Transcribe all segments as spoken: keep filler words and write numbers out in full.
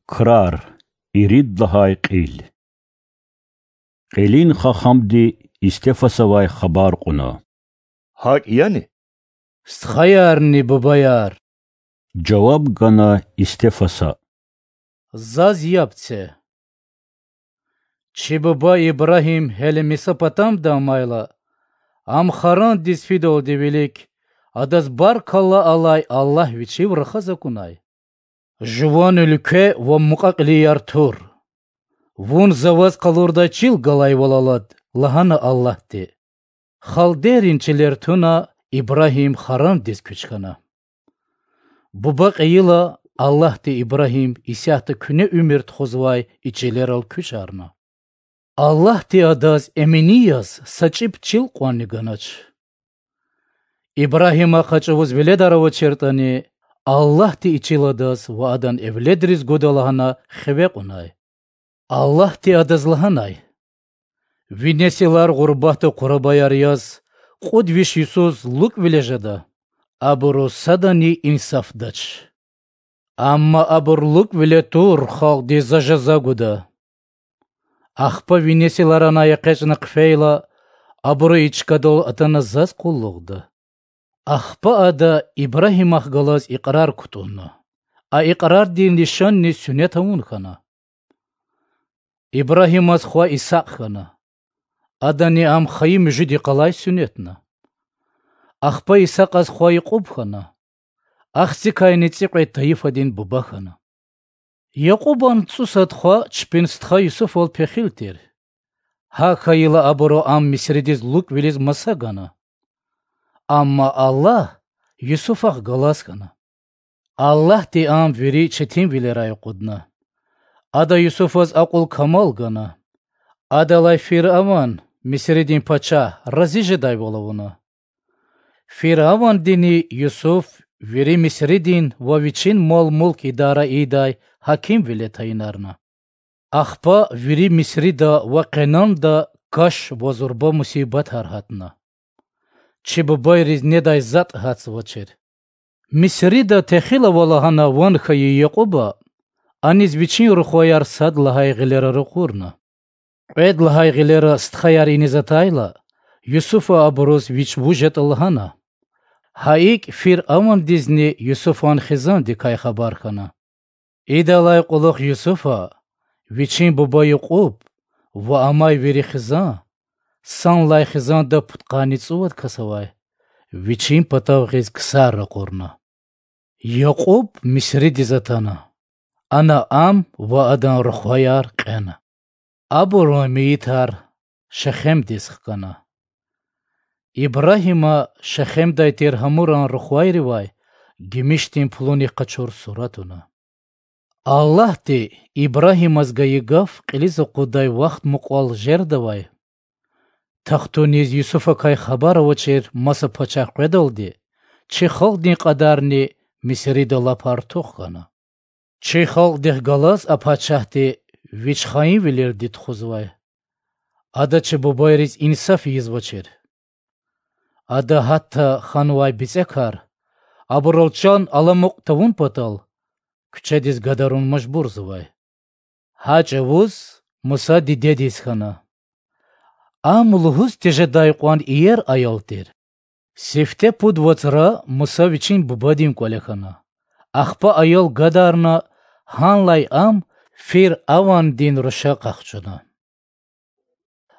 Крар, ирид лагьай кьил. Кьилин хахамди Истефасавай хабар кьуна: ГьакӀ яни? Стхаярни бубаяр,— жаваб гана Истефаса,— заз яб це. Чи буба Ибрагьим гьеле Месопотамияда амайла, ам Харандиз фидалди вилик, адаз баркалла алай Аллагь вичив рахаз акунай. Жуван уьлкве ва мукьва-кьилияр тур. Вун за ваз къалурдай чил галайвал алад,— лагьана Аллагьди. Халдейрин чилер туна, Ибрагьим Харандиз куьч хьана. Буба кьейила, Аллагьди Ибрагьим исятда куьне уьмуьр тухузвай и чилерал куьчарна. Аллагьди адаз эмини яз са чӀиб чил кьванни ганач. Ибрагьима къачувуз веледар авачиртӀани, Аллагьди и чил адаз ва адан эвледриз гуда лагьана хиве кьунай. Аллагьди адаз лагьанай: Ви несилар гъурбатда къурабаяр яз кьуд виш йисуз лукӀвиле жеда, абуру садани инсафдач. Амма абур лукӀвиле тур халкьдиз за жаза гуда. Ахпа ви несилар анай экъечӀна хъфейла, абуру и чкадал атана заз къуллугъда. Ахпа ада Ибрагьимахъ галаз икьрар кутӀунна. А икьрардин лишанни суннет авун хьана. Ибрагьимаз хва Исакь хьана. Адани ам хайи муьжуьд йикъалай суннетна. Ахпа Исакьаз хва Якьуб хьана. Ахцикайни цӀикьвед тайифадин буба хьана. Якьубан цӀусад хва чпин стха Юсуфал пехил тир. ГьакӀ хьайила абуру ам Мисридиз лукӀвилиз маса гана. Амма Аллагь Юсуфахъ галаз хьана. Аллагьди ам вири четинвилерай акъудна. Ада Юсуфаз акьул-камал гана. Адалай Фираван, Мисридин пачагь, рази жедайвал авуна. Фиравандини Юсуф вири Мисридин ва вичин мал-мулк идара ийидай гьакимвиле тайинарна. Ахпа вири Мисрида ва Къенанда каш ва зурба мусибатар гьатна. Чи бубайриз недай затӀ гьатзавачир. Мисрида техилава лагьана ван хьайи Якьуба аниз вичин рухваяр сад лагьай гъилера ракъурна. Кьвед лагьай гъилера стхаяр иниз атайла, Юсуфа абуруз вич вуж ятӀа лагьана. Гьа икӀ Фиравандизни Юсуфан хизандикай хабар хьана. Идалай кьулухъ Юсуфа, вичин буба Якьуб ва амай вири хизан, санлай хизанда пудкъанни цӀувад кас авай, вичин патав гъиз ксар ракъурна. Якьуб Мисридиз атана. Ана ам ва адан рухваяр кьена. Абурун мейитар Шехемдиз хкана. Ибрагьима Шехемдай тир Гьамуран рухвайривай гимишдин пулунихъ къачур сура туна. Аллагьди Ибрагьимаз гайи гаф кьилиз акъуддай вахт мукьвал жердавай, тахтуниз Юсуфакай хабар авачир маса пачагь къведалди, чи халкьдин кьадарни Мисрида лап артух хьана. Чи халкьдихъ галаз а пачагьди вич хаинвилелди тухузвай. Ада чи бубайриз инсаф ийизвачир. Ада гьатта ханвай бицӀекар, абурал чан аламукь тавун патал, куьчедиз гадарун мажбурзавай. Гьа чӀавуз Муса дидедиз хьана. Ам лугьуз тежедай кьван иер аял тир. Сифте пуд вацра Муса вичин бубадин кӀвале хьана. Ахпа аял гадарна, гьанлай ам Фиравандин руша къахчуна.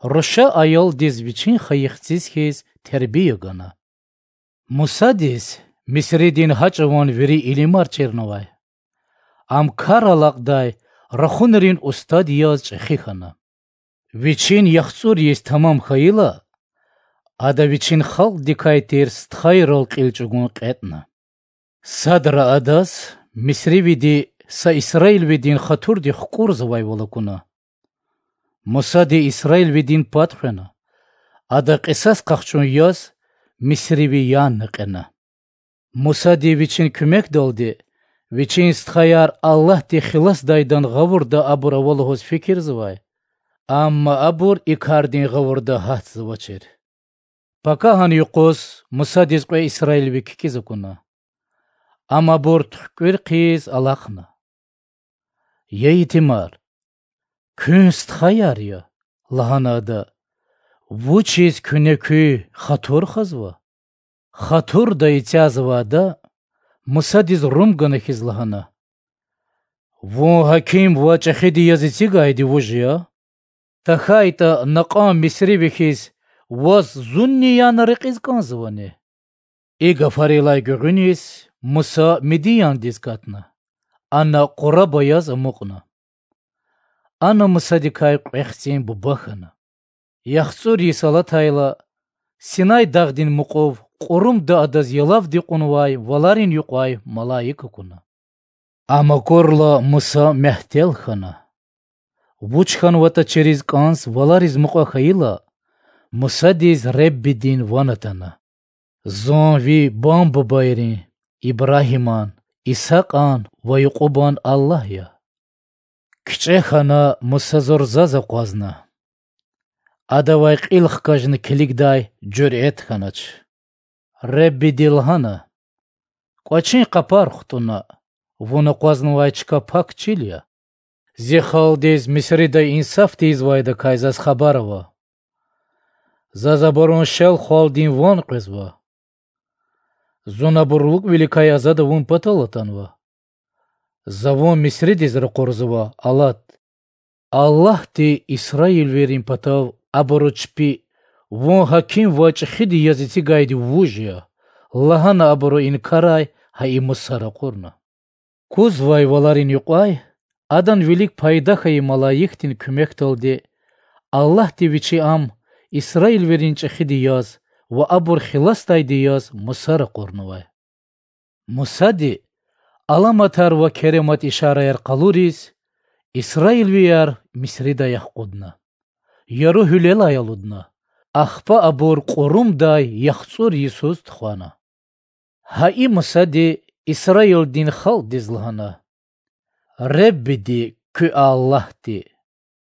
Руша аялдиз вичин хайи хциз хьиз тербия гана. Мусадиз Мисридин гьа чӀаван вири илимар чирнавай. Ам кар алакьдай, рахунрин устад яз чӀехи хьана. Вичин яхцӀур йис тамам хьайила, ада вичин халкьдикай тир стхайрал кьил чӀугун кьетӀна. Садра адаз мисривиди са исраилвидин хатурдихъ кукӀурзавайвал акуна. Мусади исраилвидин пад хвена, ада кьисас къахчун яз мисриви янна кьена. Мусади вичин куьмекдалди вичин стхаяр Аллагьди хиласдайдан гъавурда абур ава лугьуз фикирзавай, амма абур и кардин гъавурда гьатзавачир. Пакагьан юкъуз Мусадиз кьве исраилви кикӀиз акуна. Ам абур туькӀуьр хъийиз алахъна. Я итимар, куьн стхаяр я,— лагьана ада,— вучиз куьне куь хатур хазва? Хатурда эцяз авай ада Мусадиз рум гана хьиз лагьана: Вун гьаким ва чӀехиди яз эцигайди вуж я? ТахьайтӀа накьан мисривихъ ваз зунни яна рекьиз кӀанзавани? И гафарилай гуьгъуьниз Муса Мидияндиз катна, ана къураба яз амукьна. Ана Мусадикай кьве хцин буба хьана. ЯхцӀур йис алатайла, Синай дагъдин мукьув кьурумда адаз ялавди кьунвай валарин юкьвай малаик акуна. Ам акурла Муса мягьтел хьана. Вуч хьанватӀа чириз кӀанз валариз мукьва хьайила, Мусадиз Реббидин ван атана: Зун ви бан-бубайрин, Ибрагьиман, Исакьан ва Якьубан Аллагь я. КичӀе хьана Муса зурзаз акъвазна. Адавай кьил хкажна килигдай жуьрэт хьанач. Реббиди лагьана: КӀвачин къапар хтӀунна, вун акъвазнавай чка пак чил я. Зи халкьдиз Мисрида инсаф тийизвайдакай заз хабар ава. Заз абурун шел-хвалдин ван къвезва. Зун абур лукӀвиликай азад авун патал атанва. За вун Мисридиз ракъурзава, алад. Аллагьди исраилвийрин патав абуру чпи: Вун гьаким ва чӀехиди яз эцигайди вуж я? лагьана абуру инкарай гьа и Муса ракъурна. Кузвай валарин юкьвай адан вилик пайда хьайи малаикдин куьмекдалди Аллагьди Вичи ам исраилвийрин чӀехиди яз ва абур хиласдайди яз Муса ракъурнавай. Мусади, аламатар ва керемат ишараяр къалуриз, исраилвияр Мисридай ахкъудна. Яру гьуьлелай алудна, ахпа абур кьурумдай яхцӀур йисуз тухвана. Гьа и Мусади исраилдин халкьдиз лагьана: Реббиди, куь Аллагьди,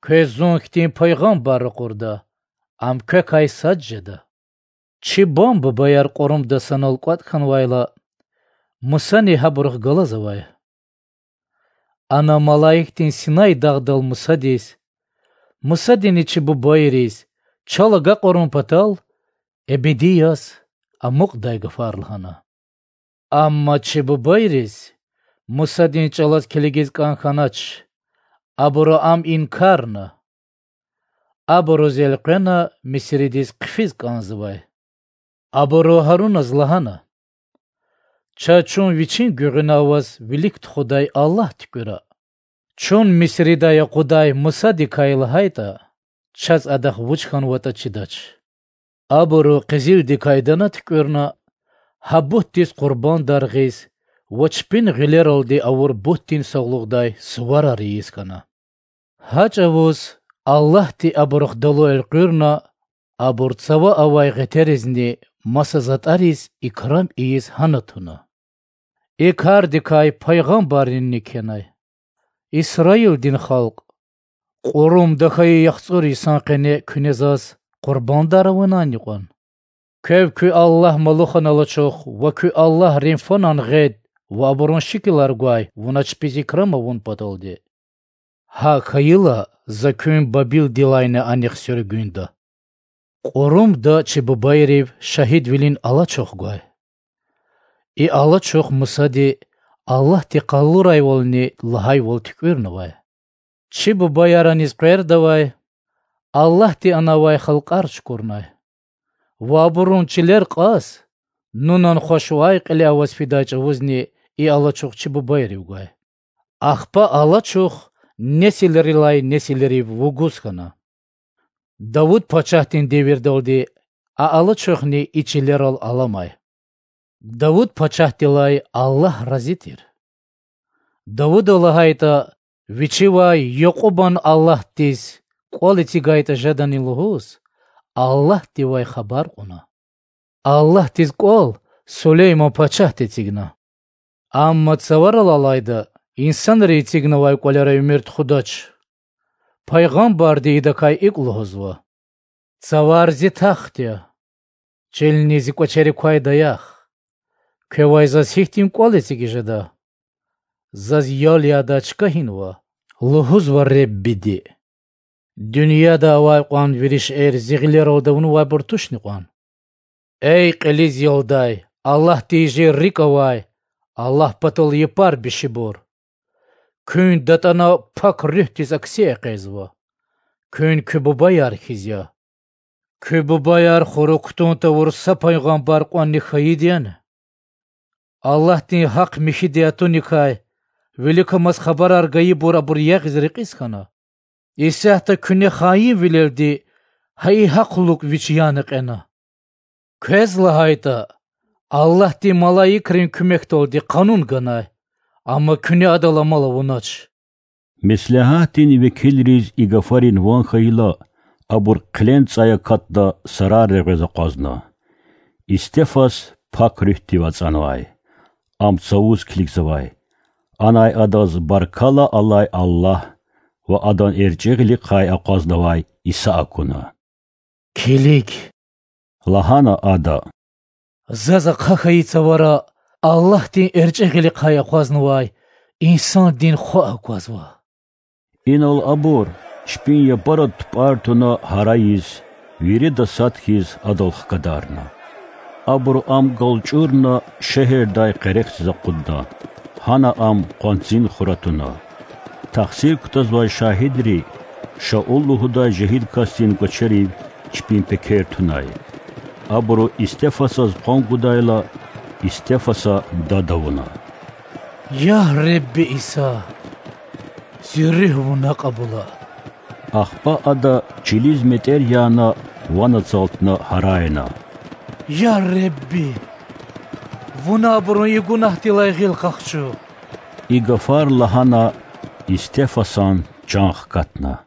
квез зун хьтин пайгъамбар ракъурда, ам квекай сад жеда. Чи бан-бубаяр кьурумда санал кӀватӀ хьанвайла, Мусани гьабурухъ галаз авай. Ана малаикдин Синай дагъдал Мусадиз, Мусадини чи бубайриз чал агакьарун патал эбеди яз амукьдай гафар лагьана. Амма чи бубайриз Мусадин чӀалаз килигиз кӀан хьанач, абуру ам инкарна. Абуруз элкъвена Мисридиз хъфиз кӀанзавай. Абуру Гьаруназ лагьана: Чаз чун вичин гуьгъуьна аваз вилик тухудай Аллагь туькӀуьра. Чун Мисридай акъудай Мусадикай лагьайтӀа, чаз адахъ вуч хьанватӀа чидач. Абуру къизилдикай дана туькӀуьрна, гьа бутдиз къурбандар гъиз ва чпин гъилералди авур бутдин сагълугъдай суварар ийиз хьана. Гьа чӀавуз Аллагьди абурухъ далу элкъуьрна, абур цава авай гъетеризни маса затӀариз икрам ийиз гьана туна. И кардикай пайгъамбарринни кхьенай. Исраилдин халкь, кьурумда хьайи яхцӀур йисан къене куьне заз къурбандар авунайни кьван? Квев куь Аллагь Малухан алачух ва куь Аллагь Рефанан гъед ва абурун шикилар гвай вуна чпиз икрам авун паталди. ГьакӀ хьайила, за куьн Бабилдилайни анихъ суьргуьнда. Кьурумда чи бубайрив шагьидвилин алачух гвай. И алачух Мусади Аллагьди къалурайвални лагьайвал туькӀуьрнавай. Чи бубаяр аниз къвердавай, Аллагьди ана авай халкьар чукурнай. Ва абурун чилер кьаз, Нунан хвашвай кьиле аваз фидай чӀавузни и алачух чи бубайрив гвай. Ахпа алачух несилрилай несилрив вугуз хьана. Давуд пачагьдин девирдалди а алачухни и чилерал аламай. Давуд пачагьдилай Аллагь рази тир. Давуда лагьайтӀа, вичивай Якьубан Аллагьдиз кӀвал эцигайтӀа жедани лугьуз, Аллагьдивай хабар кьуна. Аллагьдиз кӀвал Сулейман пачагьди эцигна. Амма цаварал алайда инсанри эцигнавай кӀвалера уьмуьр тухудач. Пайгъамбарди идакай икӀ лугьузва: Цавар зи тахт я, чилни зи кӀвачерик квай даях. Квевай заз гьихьтин кӀвал эцигиз жеда? Заз ял ядай чка гьинва, Лугьузва Реббиди: Дуьньяда авай кьван вири шейэр Зи гъилералди авунвайбур тушни кьван? Эй кьилиз ялдай, Аллагьдин жер рикӀ авай, Аллагь патал япар бишибур! Куьн датӀана Пак Руьгьдиз акси экъечӀзава. Куьн куь бубаяр хьиз я. Куь бубаяр хурук кутун тавур са пайгъамбар кьванни хьайиди яни? Аллагьдин гьахъ-михьиди атуникай виликамаз хабарар гайибур абур ягъиз рекьиз хьана. Исятда куьне хаинвилелди гьа и гьахълук вич яна кьена. Квез лагьайтӀа, Аллагьдин малаикрин куьмекдалди къанун ганай, амма куьне адал амал авунач. Меслягьатдин векилриз и гафарин ван хьайила, абур хъилен цӀай акатда сарар регъвез акъвазна. Истефас Пак Руьгьдив ацӀанвай. Ам цавуз килигзавай. Анай адаз баркалла алай Аллагь ва Адан эрчӀи гъилихъай акъвазнавай Иса акуна. Килиг,— лагьана ада,— заз ахъа хьайи цавара Аллагьдин эрчӀи гъилихъай акъвазнавай Инсандин Хва аквазва. Инал абур, чпин япарад тупӀар туна гьарайиз, вирида сад хьиз Адал хкадарна. Абуру Ам галчӀурна шегьердай къерехдиз акъудна, гьана Ам къванцин хура туна. Тахсир кутазвай шагьидри Шаул лугьудай жегьил касдин гвачерив чпин пекер тунай. Абуру Истефасаз къван гудайла, Истефаса дад авуна: Я Ребби Иса! Зи руьгь Вуна кьабула! Ахпа ада чилиз метӀер яна ван ацалтна гьарайна: Я Ребби! Вуна абурун и гунагьдилай гъил къахчу! И гафар лагьана, Истефасан чан хкатна.